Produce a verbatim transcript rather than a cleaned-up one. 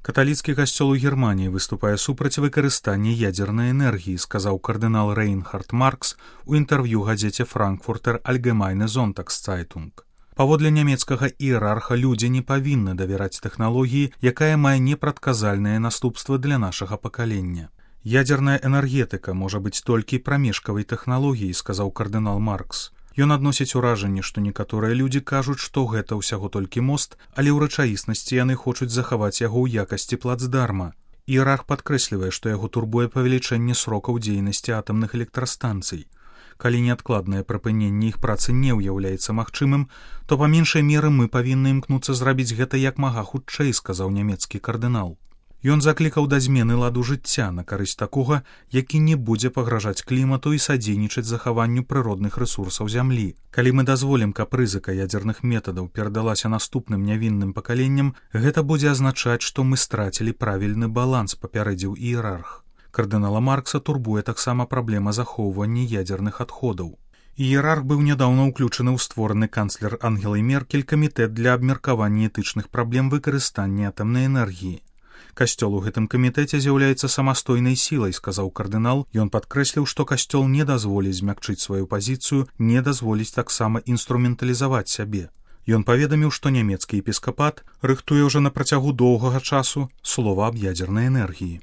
Каталіцкі касцёл у Германіі выступае супраць выкарыстання ядзернай энергіі, сказаў кардынал Рейнхард Маркс у інтэрв'ю газеце «Франкфуртер Альгемайне Зонтагсцайтунг». Паводле нямецкага іерарха людзі не павінны давяраць тэхналогіі, якая мае непрадказальныя наступствы для нашага пакалення. Ядзерная энергетыка можа быць толькі прамежкавай тэхналогіяй, сказаў кардынал Маркс. Ён адносіць уражанне, што некаторыя людзі кажуць, што гэта ўсяго толькі мост, але ў рэчаіснасці яны хочуць захаваць яго ў якасці плацдарма. Іерарх падкрэслівае, што яго турбуе павелічэнне срокаў дзейнасці атамных электрастанцый. Калі неадкладнае прыпыненне іх працы не ўяўляецца магчымым, то па меншай меры мы павінны імкнуцца зрабіць гэта як мага хутчэй, сказаў нямецкі кардынал. Ён заклікаў да змены ладу жыцця на карысць такога, які не будзе пагражаць клімату і садзейнічаць захаванню прыродных рэсурсаў зямлі. Калі мы дазволім, каб рызыка ядзерных метадаў перадалася наступным нявінным пакаленням, гэта будзе азначаць, што мы страцілі правільны баланс, папярэдзіў іерарх. Кардынала Маркса турбуе таксама праблема захоўвання ядзерных адходаў. Іерарх быў нядаўна ўключаны ў створаны канцлер Ангелай Меркель камітэт для абмеркавання этычных праблем выкарыстання атамнай энергіі. Касцёл у гэтым камітэце з'яўляецца самастойнай сілай, сказаў кардынал. Ён падкрэсліў, што касцёл не дазволіць змякчыць сваю пазіцыю, не дазволіць таксама інструменталізаваць сябе. Ён паведаміў, што нямецкі епіскапат рыхтуе ўжо на працягу доўгага часу слова аб ядзернай энергіі.